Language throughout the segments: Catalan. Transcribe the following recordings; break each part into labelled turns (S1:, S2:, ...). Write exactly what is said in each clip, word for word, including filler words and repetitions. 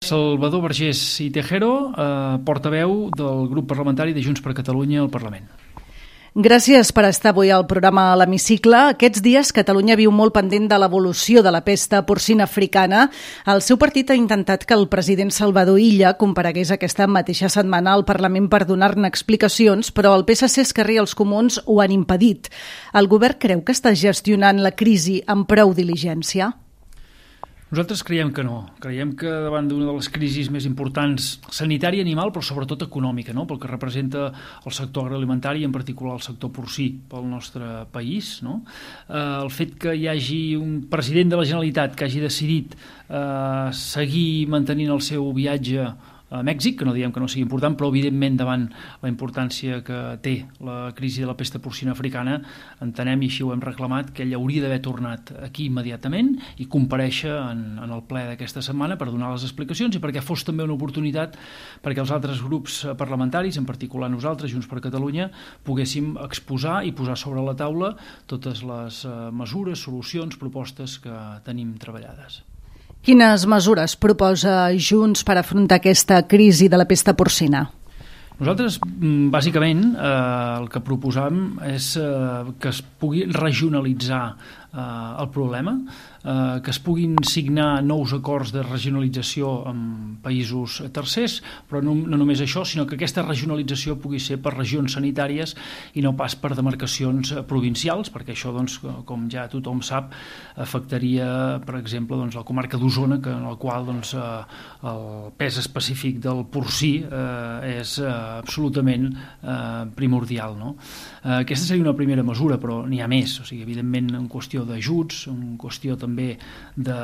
S1: Salvador Vergés i Tejero, eh, portaveu del grup parlamentari de Junts per Catalunya al Parlament.
S2: Gràcies per estar avui al programa a l'Hemicicle. Aquests dies Catalunya viu molt pendent de l'evolució de la pesta porcina africana. El seu partit ha intentat que el president Salvador Illa comparegués aquesta mateixa setmana al Parlament per donar-ne explicacions, però el P S C, Esquerra i els Comuns ho han impedit. El govern creu que està gestionant la crisi amb prou diligència?
S1: Nosaltres creiem que no. Creiem que davant d'una de les crisis més importants, sanitària, animal, però sobretot econòmica, no? Pel que representa el sector agroalimentari, en particular el sector porcí pel nostre país, no? Eh, el fet que hi hagi un president de la Generalitat que hagi decidit eh, seguir mantenint el seu viatge a Mèxic, que no diem que no sigui important, però evidentment davant la importància que té la crisi de la pesta porcina africana, entenem, i així ho hem reclamat, que ell hauria d'haver tornat aquí immediatament i comparèixer en, en el ple d'aquesta setmana per donar les explicacions i perquè fos també una oportunitat perquè els altres grups parlamentaris, en particular nosaltres, Junts per Catalunya, poguéssim exposar i posar sobre la taula totes les mesures, solucions, propostes que tenim treballades.
S2: Quines mesures proposa Junts per afrontar aquesta crisi de la pesta porcina?
S1: Nosaltres, bàsicament, eh, el que proposam és eh, que es pugui regionalitzar eh, el problema, eh, que es puguin signar nous acords de regionalització amb països tercers, però no, no només això, sinó que aquesta regionalització pugui ser per regions sanitàries i no pas per demarcacions provincials, perquè això, doncs, com ja tothom sap, afectaria, per exemple, doncs, la comarca d'Osona, que en la qual doncs, eh, el pes específic del porcí eh, és eh, absolutament eh, primordial, no? Eh, aquesta seria una primera mesura, però n'hi ha més, o sigui, evidentment en qüestió d'ajuts, en qüestió també de,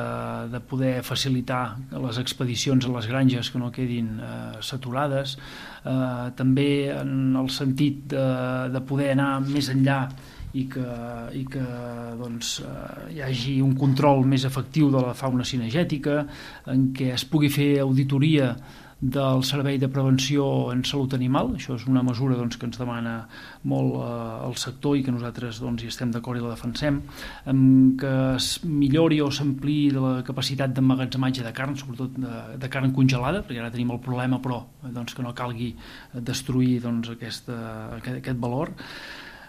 S1: de poder facilitar les expedicions a les granges que no quedin eh, saturades, eh, també en el sentit de, de poder anar més enllà i que, i que doncs, eh, hi hagi un control més efectiu de la fauna cinegètica, en què es pugui fer auditoria del Servei de Prevenció en Salut Animal. Això és una mesura doncs, que ens demana molt eh, el sector i que nosaltres doncs, hi estem d'acord i la defensem, amb que es millori o s'ampliï la capacitat d'emmagatzematge de carn, sobretot de, de carn congelada, perquè ara tenim el problema, però doncs, que no calgui destruir doncs, aquesta, aquest, aquest valor.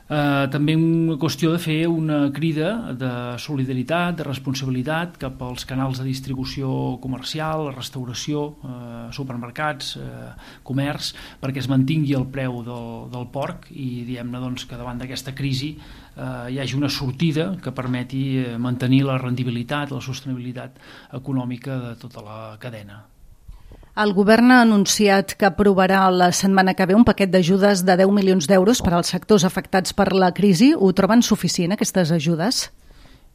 S1: Uh, també una qüestió de fer una crida de solidaritat, de responsabilitat cap als canals de distribució comercial, restauració, uh, supermercats, uh, comerç, perquè es mantingui el preu del, del porc i diguem-ne doncs, que davant d'aquesta crisi uh, hi hagi una sortida que permeti mantenir la rendibilitat, la sostenibilitat econòmica de tota la cadena.
S2: El govern ha anunciat que aprovarà la setmana que ve un paquet d'ajudes de deu milions d'euros per als sectors afectats per la crisi. Ho troben suficient, aquestes ajudes?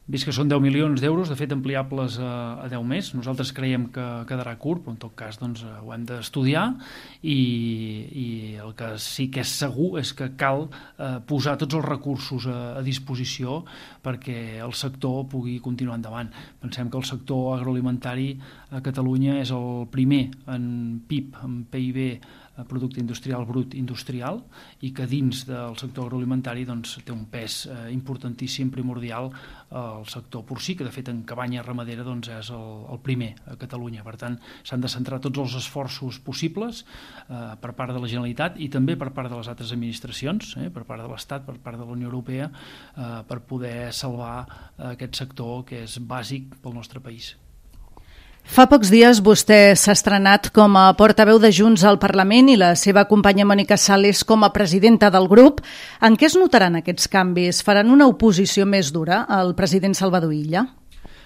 S1: Vist que són deu milions d'euros, de fet ampliables a, a deu més, nosaltres creiem que quedarà curt, però en tot cas doncs, ho hem d'estudiar i, i el que sí que és segur és que cal eh, posar tots els recursos a, a disposició perquè el sector pugui continuar endavant. Pensem que el sector agroalimentari a Catalunya és el primer en P I B, en P I B, producte industrial brut industrial, i que dins del sector agroalimentari doncs, té un pes eh, importantíssim, primordial al sector porcí, que de fet en cabanya ramadera doncs, és el, el primer a Catalunya. Per tant, s'han de centrar tots els esforços possibles eh, per part de la Generalitat i també per part de les altres administracions, eh, per part de l'Estat, per part de la Unió Europea, eh, per poder salvar eh, aquest sector que és bàsic pel nostre país.
S2: Fa pocs dies vostè s'ha estrenat com a portaveu de Junts al Parlament i la seva companya Mònica Sales com a presidenta del grup. En què es notaran aquests canvis? Faran una oposició més dura al president Salvador Illa?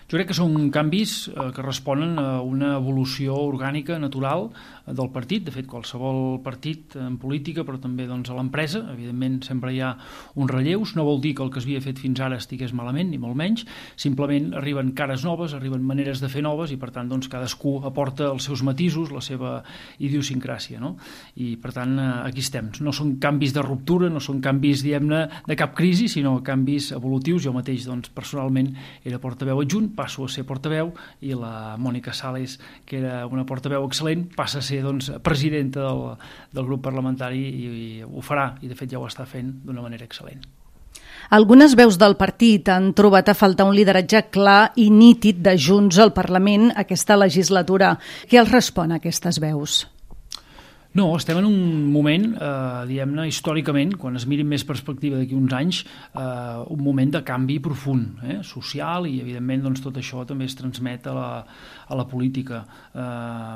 S1: Jo crec que són canvis eh, que responen a una evolució orgànica, natural, del partit. De fet, qualsevol partit en política, però també doncs, a l'empresa, evidentment sempre hi ha uns relleus. No vol dir que el que s'havia fet fins ara estigués malament, ni molt menys. Simplement arriben cares noves, arriben maneres de fer noves i, per tant, doncs, cadascú aporta els seus matisos, la seva idiosincràsia, no? I, per tant, aquí estem. No són canvis de ruptura, no són canvis, diguem-ne, de cap crisi, sinó canvis evolutius. Jo mateix, doncs, personalment, era portaveu adjunt, passo a ser portaveu, i la Mònica Sales, que era una portaveu excel·lent, passa a ser doncs, presidenta del, del grup parlamentari i, i ho farà, i de fet ja ho està fent d'una manera excel·lent.
S2: Algunes veus del partit han trobat a faltar un lideratge clar i nítid de Junts al Parlament aquesta legislatura. Què els respon a aquestes veus?
S1: No, estem en un moment, eh, diguem-ne, històricament, quan es miri més perspectiva d'aquí uns anys, eh, un moment de canvi profund, eh, social, i evidentment doncs, tot això també es transmet a la, a la política. Eh,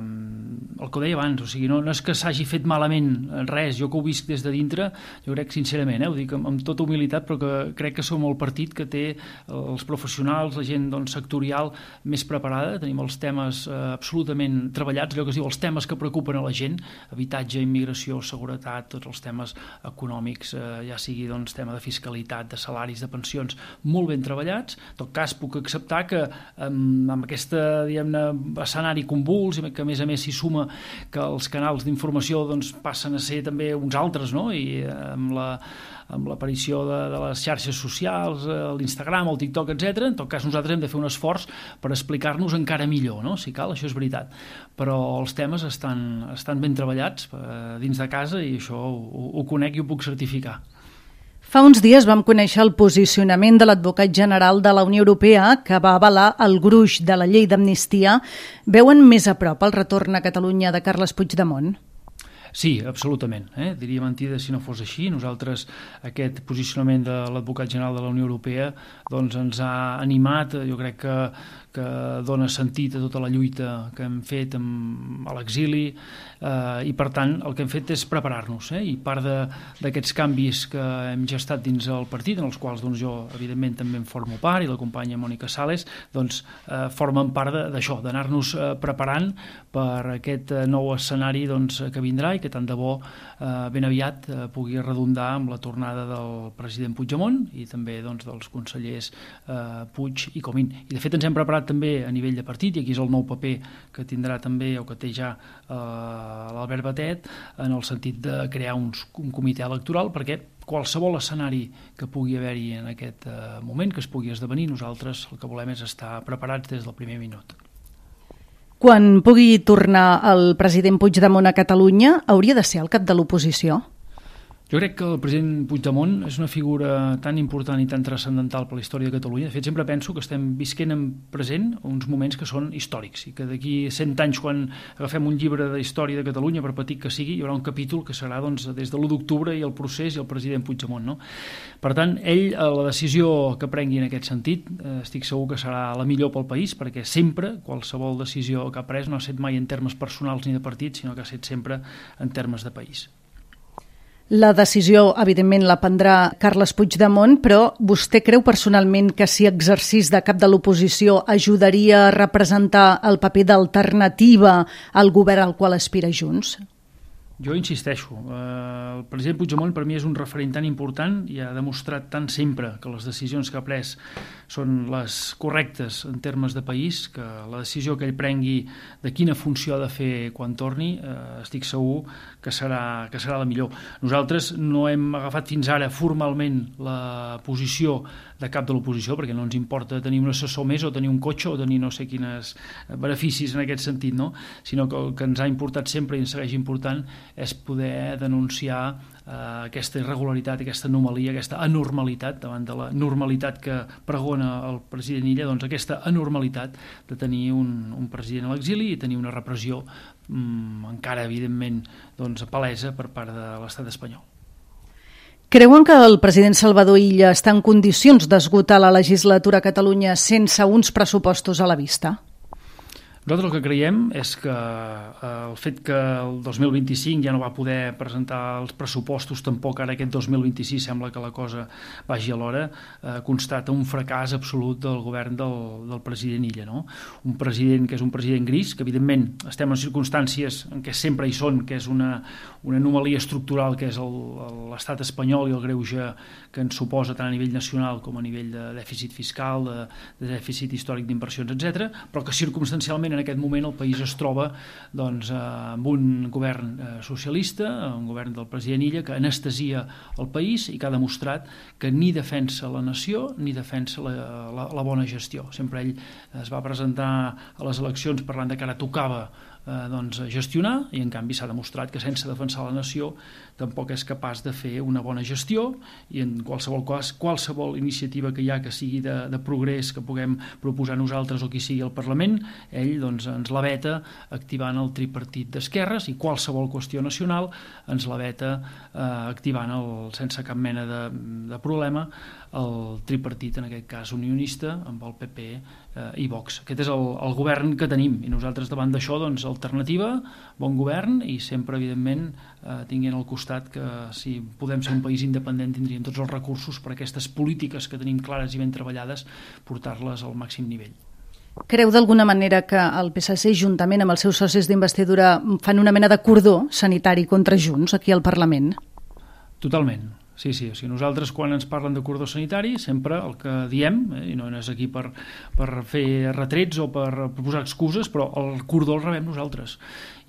S1: el que ho deia abans, o sigui, no, no és que s'hagi fet malament res, jo que ho visc des de dintre, jo crec sincerament, eh, ho dic amb, amb tota humilitat, però que crec que som el partit que té els professionals, la gent doncs, sectorial més preparada, tenim els temes eh, absolutament treballats, allò que es diu els temes que preocupen a la gent, habitatge, immigració, seguretat, tots els temes econòmics, eh, ja sigui doncs, tema de fiscalitat, de salaris, de pensions, molt ben treballats. En tot cas, puc acceptar que amb, amb aquest escenari convuls, que a més a més s'hi suma que els canals d'informació doncs, passen a ser també uns altres, no? I eh, amb la amb l'aparició de, de les xarxes socials, l'Instagram, el TikTok, etcètera. En tot cas, nosaltres hem de fer un esforç per explicar-nos encara millor, no? Si cal, això és veritat. Però els temes estan, estan ben treballats eh, dins de casa i això ho, ho conec i ho puc certificar.
S2: Fa uns dies vam conèixer el posicionament de l'advocat general de la Unió Europea que va avalar el gruix de la llei d'amnistia. Veuen més a prop el retorn a Catalunya de Carles Puigdemont?
S1: Sí, absolutament. Eh? Diria mentida si no fos així. Nosaltres, aquest posicionament de l'advocat general de la Unió Europea doncs ens ha animat, jo crec que, que dona sentit a tota la lluita que hem fet amb, a l'exili eh, i, per tant, el que hem fet és preparar-nos. Eh? I part d'aquests canvis que hem gestat dins el partit, en els quals doncs, jo, evidentment, també en formo part, i la companya Mònica Sales, doncs, eh, formen part d'això, d'anar-nos eh, preparant per aquest eh, nou escenari doncs, que vindrà i que tant de bo eh, ben aviat eh, pugui redundar amb la tornada del president Puigdemont i també doncs, dels consellers eh, Puig i Comín. I de fet ens hem preparat també a nivell de partit, i aquí és el nou paper que tindrà també o que té ja eh, l'Albert Batet, en el sentit de crear uns, un comitè electoral, perquè qualsevol escenari que pugui haver-hi en aquest eh, moment, que es pugui esdevenir, nosaltres el que volem és estar preparats des del primer minut.
S2: Quan pugui tornar el president Puigdemont a Catalunya, hauria de ser el cap de l'oposició?
S1: Jo crec que el president Puigdemont és una figura tan important i tan transcendental per la història de Catalunya. De fet, sempre penso que estem visquent en present uns moments que són històrics i que d'aquí cent anys, quan agafem un llibre de història de Catalunya, per petit que sigui, hi haurà un capítol que serà doncs, des de l'u d'octubre i el procés i el president Puigdemont. No? Per tant, ell, la decisió que prengui en aquest sentit, eh, estic segur que serà la millor pel país, perquè sempre, qualsevol decisió que ha pres no ha estat mai en termes personals ni de partit, sinó que ha estat sempre en termes de país.
S2: La decisió, evidentment, la prendrà Carles Puigdemont, però vostè creu personalment que si exercís de cap de l'oposició ajudaria a representar el paper d'alternativa al govern al qual aspira Junts?
S1: Jo insisteixo, eh, el president Puigdemont per mi és un referent tan important i ha demostrat tant sempre que les decisions que ha pres són les correctes en termes de país, que la decisió que ell prengui de quina funció ha de fer quan torni, eh, estic segur que serà, que serà la millor. Nosaltres no hem agafat fins ara formalment la posició de cap de l'oposició, perquè no ens importa tenir un assessor més o tenir un cotxe o tenir no sé quines beneficis en aquest sentit, no? Sinó que el que ens ha importat sempre i ens segueix important és poder denunciar eh, aquesta irregularitat, aquesta anomalia, aquesta anormalitat davant de la normalitat que pregona el president Illa, doncs aquesta anormalitat de tenir un, un president a l'exili i tenir una repressió mm, encara evidentment doncs, palesa per part de l'estat espanyol.
S2: Creuen que el president Salvador Illa està en condicions d'esgotar la legislatura a Catalunya sense uns pressupostos a la vista?
S1: Nosaltres el que creiem és que eh, el fet que el dos mil vint-i-cinc ja no va poder presentar els pressupostos, tampoc ara aquest dos mil vint-i-sis sembla que la cosa vagi a l'hora, eh, constata un fracàs absolut del govern del, del president Illa. No? Un president que és un president gris, que evidentment estem en circumstàncies en què sempre hi són, que és una, una anomalia estructural que és l'estat espanyol i el greuge que ens suposa tant a nivell nacional com a nivell de dèficit fiscal, de, de dèficit històric d'inversions, etcètera, però que circumstancialment en aquest moment el país es troba doncs, amb un govern eh, socialista, un govern del president Illa que anestesia el país i que ha demostrat que ni defensa la nació ni defensa la, la, la bona gestió. Sempre ell es va presentar a les eleccions parlant de que ara tocava eh, doncs, gestionar, i en canvi s'ha demostrat que sense defensar la nació tampoc és capaç de fer una bona gestió, i en qualsevol cas, qualsevol iniciativa que hi ha que sigui de, de progrés que puguem proposar nosaltres o qui sigui al Parlament, ell doncs, ens la veta activant el tripartit d'esquerres, i qualsevol qüestió nacional ens la veta eh, activant el, sense cap mena de, de problema el tripartit, en aquest cas unionista, amb el P P eh, i Vox. Aquest és el, el govern que tenim, i nosaltres davant d'això, doncs, alternativa, bon govern, i sempre, evidentment, eh, tinguent al costat que si podem ser un país independent tindríem tots els recursos per a aquestes polítiques que tenim clares i ben treballades, portar-les al màxim nivell.
S2: Creu d'alguna manera que el P S C, juntament amb els seus socis d'investidura, fan una mena de cordó sanitari contra Junts aquí al Parlament?
S1: Totalment. Sí, sí, o sigui, nosaltres quan ens parlen de cordó sanitari sempre el que diem, eh, i no és aquí per, per fer retrets o per proposar excuses, però el cordó el rebem nosaltres,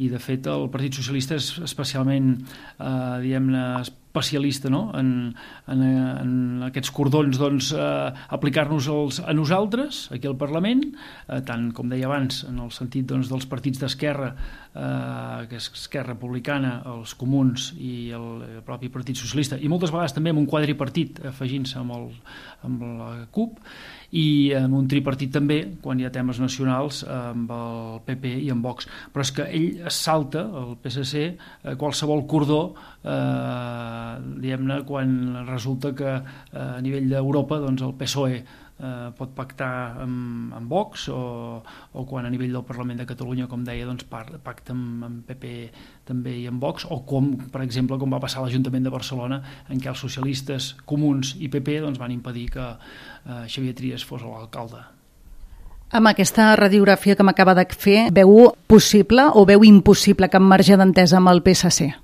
S1: i de fet el Partit Socialista és especialment eh, diguem-ne especialista, no? en, en, en aquests cordons, doncs, eh, aplicar-nos a nosaltres aquí al Parlament, eh, tant com deia abans en el sentit, doncs, dels partits d'esquerra, eh, que és Esquerra Republicana, els Comuns i el, el propi Partit Socialista, i moltes vegades també amb un quadripartit afegint-se amb, el, amb la CUP, i amb un tripartit també quan hi ha temes nacionals amb el P P i amb Vox. Però és que ell es salta, el P S C, qualsevol cordó, eh, diguem-ne, quan resulta que eh, a nivell d'Europa, doncs, el P S O E eh, pot pactar amb, amb Vox, o, o quan a nivell del Parlament de Catalunya, com deia, doncs, pacta amb, amb P P també i amb Vox, o com, per exemple, com va passar a l'Ajuntament de Barcelona, en què els socialistes, Comuns i P P, doncs, van impedir que eh, Xavier Trias fos l'alcalde.
S2: Amb aquesta radiografia que m'acaba de fer, veu possible o veu impossible cap marge d'entesa amb el P S C?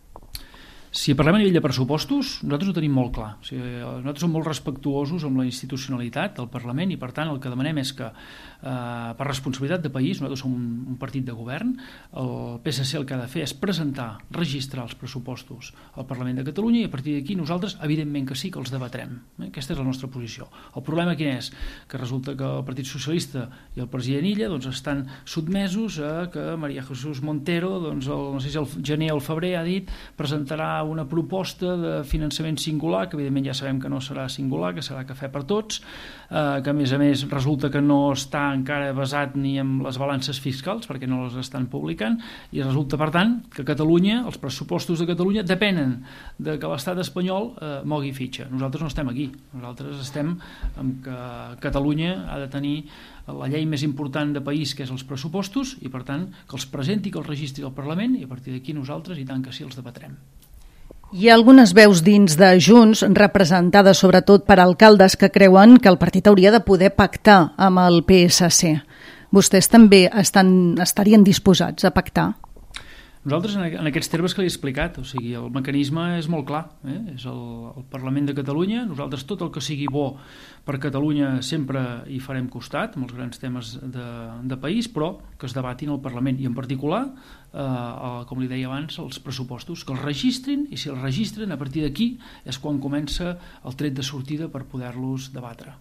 S1: Si parlem a nivell de pressupostos, nosaltres ho tenim molt clar. O sigui, nosaltres som molt respectuosos amb la institucionalitat del Parlament, i per tant el que demanem és que eh, per responsabilitat de país, nosaltres som un, un partit de govern, el P S C el que ha de fer és presentar, registrar els pressupostos al Parlament de Catalunya, i a partir d'aquí nosaltres evidentment que sí que els debatrem. Eh? Aquesta és la nostra posició. El problema quin és? Que resulta que el Partit Socialista i el president Illa, doncs, estan sotmesos a que María Jesús Montero, doncs, el, no sé si el gener o el febrer, ha dit, presentarà una proposta de finançament singular, que evidentment ja sabem que no serà singular, que serà cafè per tots, eh, que a més a més resulta que no està encara basat ni en les balances fiscals, perquè no les estan publicant, i resulta, per tant, que Catalunya, els pressupostos de Catalunya, depenen de que l'estat espanyol eh, mogui fitxa. Nosaltres no estem aquí. Nosaltres estem amb que Catalunya ha de tenir la llei més important de país, que és els pressupostos, i per tant que els presenti, que els registri al Parlament, i a partir d'aquí nosaltres, i tant que sí, els debatrem.
S2: Hi ha algunes veus dins de Junts, representades sobretot per alcaldes, que creuen que el partit hauria de poder pactar amb el P S C. Vostès també estan, estarien disposats a pactar?
S1: Nosaltres, en aquests termes que li he explicat, o sigui, el mecanisme és molt clar, eh? És el, el Parlament de Catalunya. Nosaltres tot el que sigui bo per Catalunya sempre hi farem costat, amb els grans temes de, de país, però que es debatin al Parlament, i en particular, eh, com li deia abans, els pressupostos, que els registrin, i si els registren, a partir d'aquí és quan comença el tret de sortida per poder-los debatre.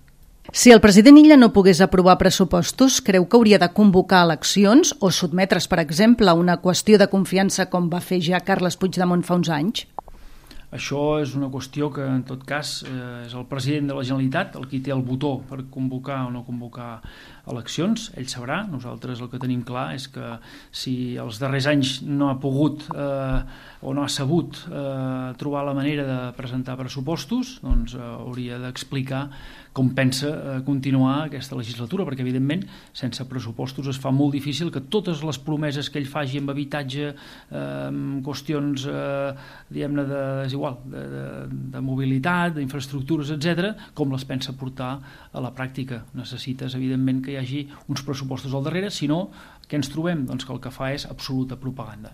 S2: Si el president Illa no pogués aprovar pressupostos, creu que hauria de convocar eleccions o sotmetre's, per exemple, a una qüestió de confiança com va fer ja Carles Puigdemont fa uns anys?
S1: Això és una qüestió que, en tot cas, eh, és el president de la Generalitat el qui té el botó per convocar o no convocar eleccions. Ell sabrà. Nosaltres el que tenim clar és que si els darrers anys no ha pogut eh, o no ha sabut eh, trobar la manera de presentar pressupostos, doncs eh, hauria d'explicar com pensa eh, continuar aquesta legislatura, perquè evidentment sense pressupostos es fa molt difícil que totes les promeses que ell faci amb habitatge, eh, amb qüestions eh, diguem-ne de, és igual, de, de, de mobilitat, d'infraestructures, etcètera, com les pensa portar a la pràctica. Necessites evidentment que hi hagi uns pressupostos al darrere, si no, què ens trobem? Doncs que el que fa és absoluta propaganda.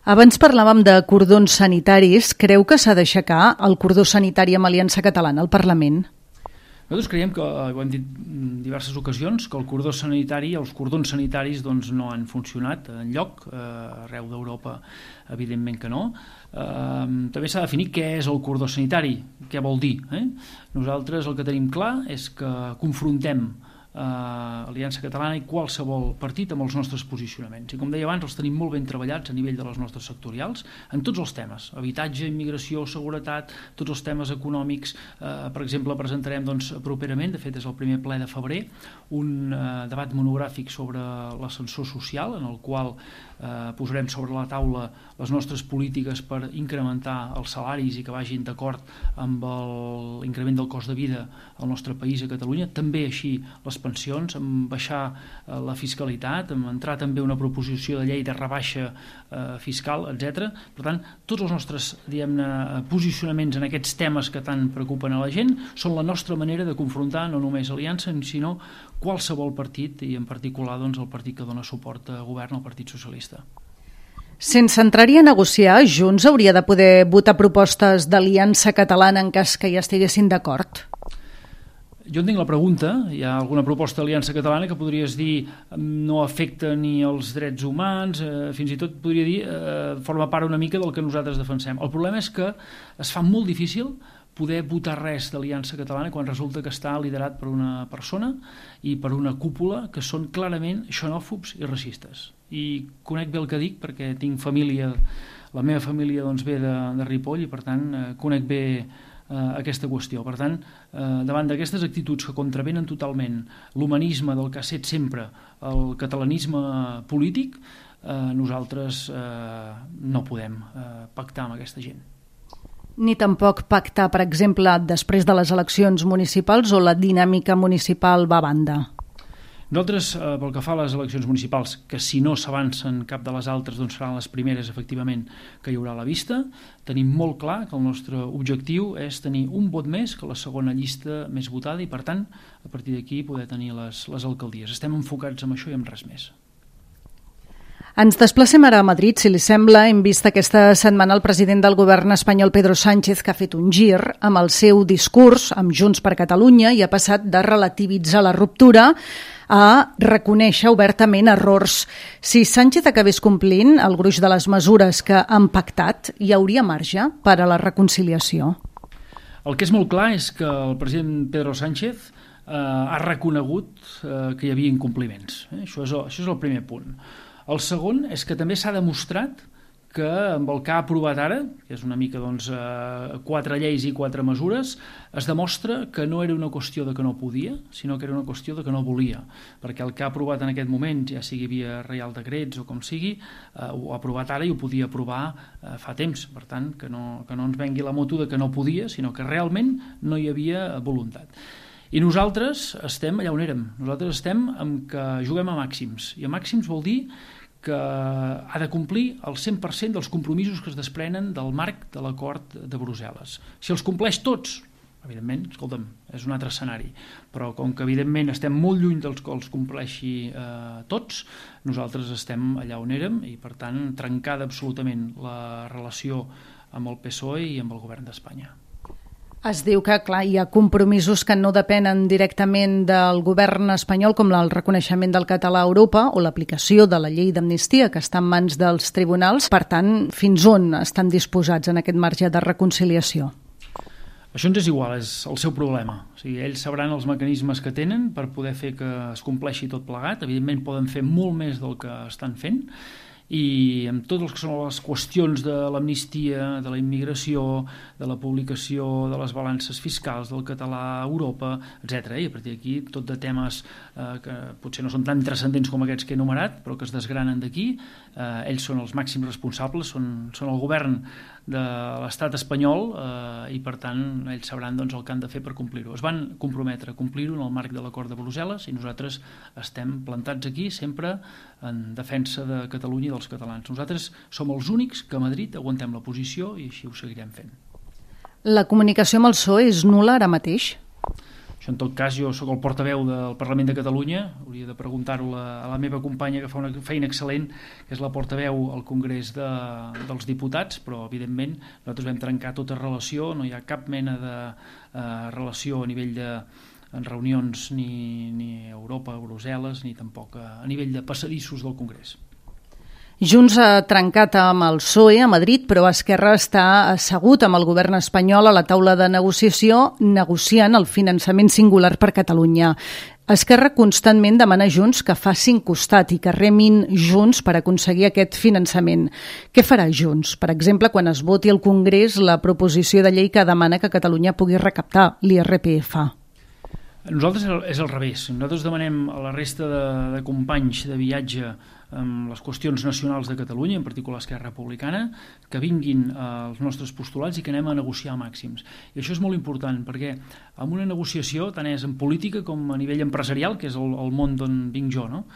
S2: Abans parlàvem de cordons sanitaris. Creu que s'ha d'aixecar el cordó sanitari amb Aliança Catalana al Parlament?
S1: Nosaltres creiem que, ho hem dit en diverses ocasions, que el cordó sanitari, els cordons sanitaris doncs, no han funcionat enlloc, eh, arreu d'Europa evidentment que no. Eh, també s'ha de definir què és el cordó sanitari, què vol dir. Eh? Nosaltres el que tenim clar és que confrontem Uh, Aliança Catalana i qualsevol partit amb els nostres posicionaments. I com deia abans, els tenim molt ben treballats a nivell de les nostres sectorials en tots els temes, habitatge, immigració, seguretat, tots els temes econòmics. Uh, per exemple, presentarem doncs, properament, de fet és el primer ple de febrer, un uh, debat monogràfic sobre l'ascensor social, en el qual uh, posarem sobre la taula les nostres polítiques per incrementar els salaris i que vagin d'acord amb l'increment del cost de vida al nostre país, a Catalunya, també així les pensions, amb baixar eh, la fiscalitat, amb entrar també una proposició de llei de rebaixa eh, fiscal, etcètera. Per tant, tots els nostres, diguem-ne, posicionaments en aquests temes que tant preocupen a la gent són la nostra manera de confrontar no només Aliança, sinó qualsevol partit, i en particular doncs, el partit que dona suport a govern, el Partit Socialista.
S2: Sense entrar-hi a negociar, Junts hauria de poder votar propostes d'Aliança Catalana en cas que ja estiguessin d'acord?
S1: Jo entenc la pregunta. Hi ha alguna proposta d'Aliança Catalana que podries dir no afecta ni els drets humans, eh, fins i tot podria dir eh, forma part una mica del que nosaltres defensem. El problema és que es fa molt difícil poder votar res d'Aliança Catalana quan resulta que està liderat per una persona i per una cúpula que són clarament xenòfobs i racistes. I conec bé el que dic perquè tinc família, la meva família doncs, ve de, de Ripoll i per tant eh, conec bé aquesta qüestió. Per tant, eh, davant d'aquestes actituds que contravenen totalment l'humanisme del que ha set sempre el catalanisme polític, eh, nosaltres eh, no podem eh, pactar amb aquesta gent.
S2: Ni tampoc pactar, per exemple, després de les eleccions municipals o la dinàmica municipal va a banda?
S1: Nosaltres, eh, pel que fa a les eleccions municipals, que si no s'avancen cap de les altres, doncs seran les primeres, efectivament, que hi haurà a la vista, tenim molt clar que el nostre objectiu és tenir un vot més que la segona llista més votada i, per tant, a partir d'aquí poder tenir les, les alcaldies. Estem enfocats en això i en res més.
S2: Ens desplacem ara a Madrid, si li sembla. Hem vist aquesta setmana el president del govern espanyol, Pedro Sánchez, que ha fet un gir amb el seu discurs amb Junts per Catalunya i ha passat de relativitzar la ruptura a reconèixer obertament errors. Si Sánchez acabés complint el gruix de les mesures que han pactat, hi hauria marge per a la reconciliació?
S1: El que és molt clar és que el president Pedro Sánchez eh, ha reconegut eh, que hi havia incompliments. Eh? Això, és el, això és el primer punt. El segon és que també s'ha demostrat que amb el que ha aprovat ara, que és una mica doncs, eh, quatre lleis i quatre mesures, es demostra que no era una qüestió de que no podia, sinó que era una qüestió de que no volia, perquè el que ha aprovat en aquest moment, ja sigui via reial decrets o com sigui, eh, ho ha aprovat ara i ho podia aprovar eh, fa temps. Per tant, que no, que no ens vengui la moto de que no podia, sinó que realment no hi havia voluntat. I nosaltres estem allà on érem. Nosaltres estem amb que juguem a màxims. I a màxims vol dir que ha de complir el cent per cent dels compromisos que es desprenen del marc de l'acord de Brussel·les. Si els compleix tots, evidentment, escolta'm, és un altre escenari. Però com que evidentment estem molt lluny dels que els compleixi eh, tots, nosaltres estem allà on érem i, per tant, trencada absolutament la relació amb el P S O E i amb el govern d'Espanya.
S2: Es diu que, clar, hi ha compromisos que no depenen directament del govern espanyol, com el reconeixement del català a Europa o l'aplicació de la llei d'amnistia, que està en mans dels tribunals. Per tant, fins on estan disposats en aquest marge de reconciliació?
S1: Això ens és igual, és el seu problema. O sigui, ells sabran els mecanismes que tenen per poder fer que es compleixi tot plegat. Evidentment poden fer molt més del que estan fent, i amb totes les que són les qüestions de l'amnistia, de la immigració, de la publicació de les balances fiscals del català a Europa, etcètera. I a partir d'aquí tot de temes eh, que potser no són tan transcendents com aquests que he enumerat, però que es desgranen d'aquí. Eh, ells són els màxims responsables, són, són el govern de l'estat espanyol eh, i per tant ells sabran doncs, el que han de fer per complir-ho. Es van comprometre a complir-ho en el marc de l'acord de Brussel·les i nosaltres estem plantats aquí sempre en defensa de Catalunya i dels catalans. Nosaltres som els únics que a Madrid aguantem la posició i així ho seguirem fent.
S2: La comunicació amb el P S O E és nul·la ara mateix?
S1: Això, en tot cas, jo sóc el portaveu del Parlament de Catalunya, hauria de preguntar-ho a la meva companya que fa una feina excel·lent, que és la portaveu al Congrés de, dels Diputats, però evidentment nosaltres vam trencar tota relació, no hi ha cap mena de eh, relació a nivell de en reunions ni, ni a Europa, a Brussel·les, ni tampoc a, a nivell de passadissos del Congrés.
S2: Junts ha trencat amb el P S O E a Madrid, però Esquerra està assegut amb el govern espanyol a la taula de negociació negociant el finançament singular per Catalunya. Esquerra constantment demana a Junts que facin costat i que remin junts per aconseguir aquest finançament. Què farà Junts, per exemple, quan es voti al Congrés la proposició de llei que demana que Catalunya pugui recaptar l'I R P F?
S1: Nosaltres és al revés. Nosaltres demanem a la resta de, de companys de viatge amb les qüestions nacionals de Catalunya, en particular Esquerra Republicana, que vinguin als nostres postulats i que anem a negociar màxims. I això és molt important, perquè en una negociació, tant és en política com a nivell empresarial, que és el, el món d'on vinc jo, no?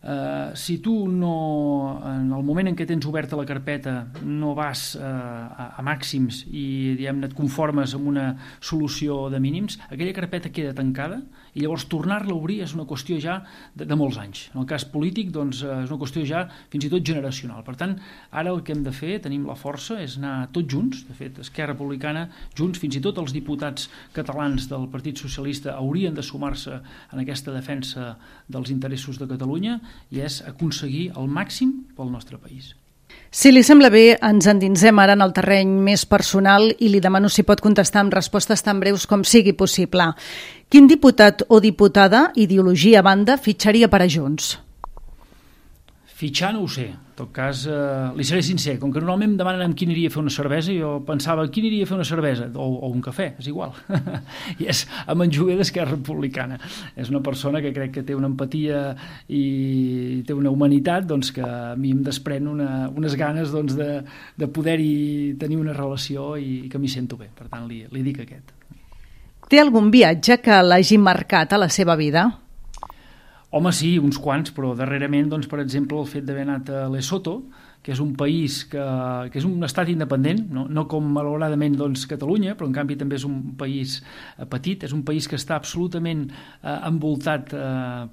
S1: Uh, si tu no, en el moment en què tens oberta la carpeta, no vas uh, a, a màxims i diguem-ne et conformes amb una solució de mínims, aquella carpeta queda tancada i llavors tornar-la a obrir és una qüestió ja de, de molts anys. En el cas polític, doncs, uh, és una qüestió ja fins i tot generacional. Per tant, ara el que hem de fer, tenim la força, és anar tots junts. De fet, Esquerra Republicana, Junts, fins i tot els diputats catalans del Partit Socialista haurien de sumar-se en aquesta defensa dels interessos de Catalunya, i és aconseguir el màxim pel nostre país.
S2: Si li sembla bé, ens endinsem ara en el terreny més personal i li demano si pot contestar amb respostes tan breus com sigui possible. Quin diputat o diputada, ideologia a banda, fitxaria per a Junts?
S1: Fitxar no ho sé. En tot cas, eh, li seré sincer. Com que normalment em demanen amb qui aniria a fer una cervesa, jo pensava qui aniria a fer una cervesa o, o un cafè, és igual. I és amb en Joguer d'Esquerra Republicana. És una persona que crec que té una empatia i té una humanitat, doncs, que a mi em desprèn una, unes ganes, doncs, de, de poder-hi tenir una relació i que m'hi sento bé. Per tant, li, li dic aquest.
S2: Té algun viatge que l'hagi marcat a la seva vida?
S1: Home, sí, uns quants, però darrerament, doncs, per exemple, el fet d'haver anat a Lesotho, que és un país que, que és un estat independent, no, no com malauradament doncs, Catalunya, però en canvi també és un país eh, petit, és un país que està absolutament eh, envoltat eh,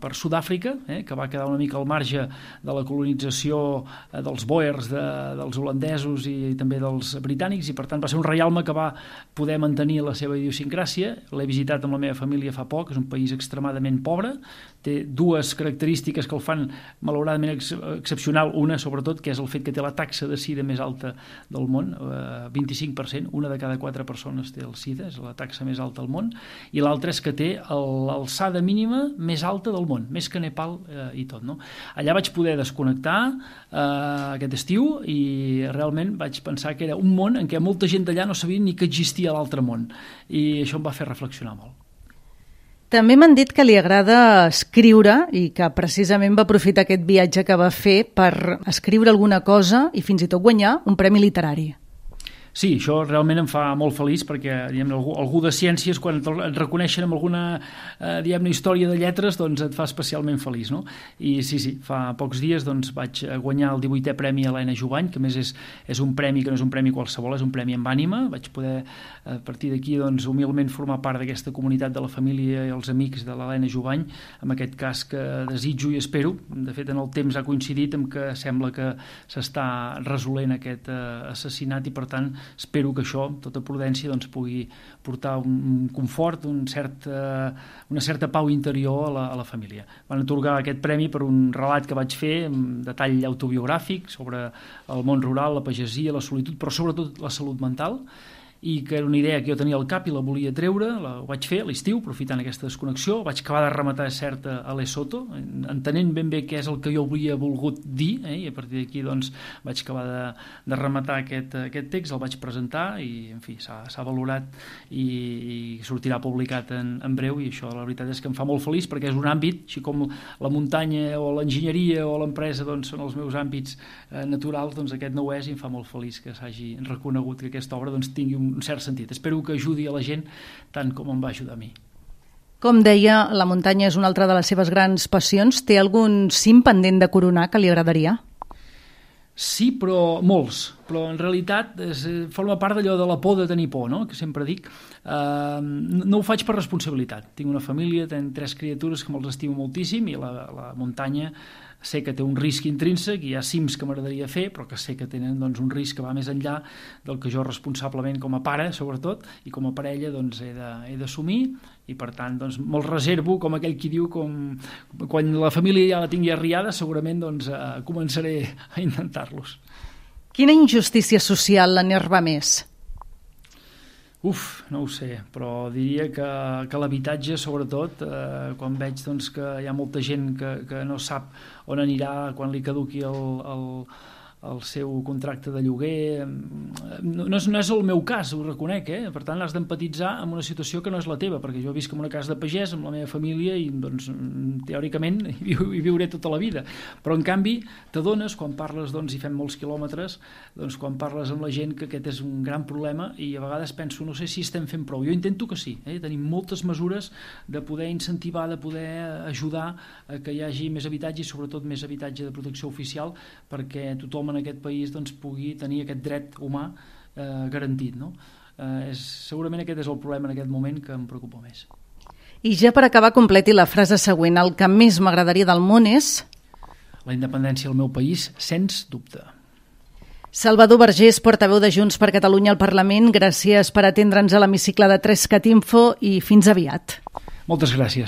S1: per Sud-àfrica, eh, que va quedar una mica al marge de la colonització eh, dels Boers, de, dels holandesos i, i també dels britànics, i per tant va ser un reialme que va poder mantenir la seva idiosincràsia. L'he visitat amb la meva família fa poc, és un país extremadament pobre, té dues característiques que el fan malauradament ex excepcional, una sobretot, que és el fet que té la taxa de sida més alta del món, eh, vint-i-cinc per cent, una de cada quatre persones té el sida, és la taxa més alta del món, i l'altra és que té l'alçada mínima més alta del món, més que Nepal eh, i tot. No? Allà vaig poder desconnectar eh, aquest estiu i realment vaig pensar que era un món en què molta gent d'allà no sabia ni que existia l'altre món, i això em va fer reflexionar molt.
S2: També m'han dit que li agrada escriure i que precisament va aprofitar aquest viatge que va fer per escriure alguna cosa i fins i tot guanyar un premi literari.
S1: Sí, això realment em fa molt feliç perquè diguem, algú, algú de ciències, quan et reconeixen amb alguna eh, diguem, història de lletres, doncs et fa especialment feliç. No? I sí, sí, fa pocs dies doncs, vaig guanyar el divuitè premi Helena Jubany, que a més és, és un premi que no és un premi qualsevol, és un premi amb ànima. Vaig poder, a partir d'aquí, doncs, humilment formar part d'aquesta comunitat de la família i els amics de l'Helena Jubany, en aquest cas que desitjo i espero. De fet, en el temps ha coincidit amb que sembla que s'està resolent aquest eh, assassinat i, per tant, espero que això, amb tota prudència, doncs, pugui portar un confort, un cert, eh, una certa pau interior a la, a la família. Van atorgar aquest premi per un relat que vaig fer amb detall autobiogràfic sobre el món rural, la pagesia, la solitud, però sobretot la salut mental, i que era una idea que jo tenia al cap i la volia treure, la, ho vaig fer a l'estiu, aprofitant aquesta desconnexió, vaig acabar de rematar, cert, a Lesotho, entenent ben bé què és el que jo havia volgut dir, eh, i a partir d'aquí doncs, vaig acabar de, de rematar aquest, aquest text, el vaig presentar i, en fi, s'ha valorat i, i sortirà publicat en, en breu, i això la veritat és que em fa molt feliç perquè és un àmbit, així com la muntanya o l'enginyeria o l'empresa doncs, són els meus àmbits eh, naturals, doncs aquest no ho és, i em fa molt feliç que s'hagi reconegut que aquesta obra doncs, tingui un un cert sentit. Espero que ajudi a la gent tant com em va ajudar a mi.
S2: Com deia, la muntanya és una altra de les seves grans passions. Té algun cim pendent de coronar que li agradaria?
S1: Sí, però molts. Però en realitat és, forma part d'allò de la por de tenir por, no? Que sempre dic. Uh, no ho faig per responsabilitat. Tinc una família, tenc tres criatures que me'ls estimo moltíssim, i la, la muntanya sé que té un risc intrínsec, i hi ha cims que m'agradaria fer, però que sé que tenen doncs, un risc que va més enllà del que jo responsablement com a pare, sobretot, i com a parella doncs, he d'assumir, i per tant doncs, me'l reservo, com aquell qui diu, com, quan la família ja la tingui arriada, segurament doncs, eh, començaré a intentar-los.
S2: Quina injustícia social l'enerva més?
S1: Uf, no ho sé, però diria que, que l'habitatge, sobretot, eh, quan veig doncs, que hi ha molta gent que, que no sap on anirà quan li caduqui el, el, el seu contracte de lloguer, no, no, és, no és el meu cas, ho reconec, eh? Per tant has d'empatitzar amb una situació que no és la teva, perquè jo visc en una casa de pagès amb la meva família i doncs, teòricament hi, viu, hi viuré tota la vida, però en canvi t'adones quan parles, doncs, i fem molts quilòmetres, doncs quan parles amb la gent que aquest és un gran problema i a vegades penso, no sé si estem fent prou, jo intento que sí, eh? Tenim moltes mesures de poder incentivar, de poder ajudar a que hi hagi més habitatge i sobretot més habitatge de protecció oficial perquè tothom en aquest país doncs, pugui tenir aquest dret humà eh, garantit. No? Eh, és, segurament aquest és el problema en aquest moment que em preocupa més.
S2: I ja per acabar, completi la frase següent. El que més m'agradaria del món és...
S1: La independència del meu país, sens dubte.
S2: Salvador Vergés, portaveu de Junts per Catalunya al Parlament, gràcies per atendre'ns a l'hemicicle de tres cat info i fins aviat.
S1: Moltes gràcies.